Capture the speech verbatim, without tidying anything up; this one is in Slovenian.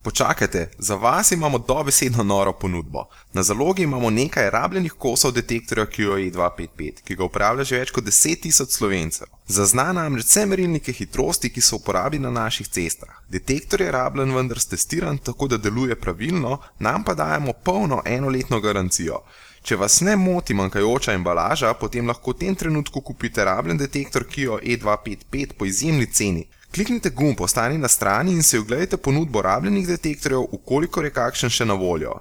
Počakajte, za vas imamo dobesedno noro ponudbo. Na zalogi imamo nekaj rabljenih kosov detektorja Q A E dva pet pet, ki ga uporablja že več kot deset tisoč Slovencev. Zazna namreč vse merilnike hitrosti, ki so uporabljeni na naših cestah. Detektor je rabljen, vendar stestiran, tako da deluje pravilno, nam pa dajemo polno enoletno garancijo. Če vas ne moti manjkajoča embalaža, potem lahko v tem trenutku kupite rabljen detektor Q A E dva pet pet po izjemni ceni. Kliknite gumb Ostani na strani in si oglejte ponudbo rabljenih detektorjev, v kolikor je kakšen še na voljo.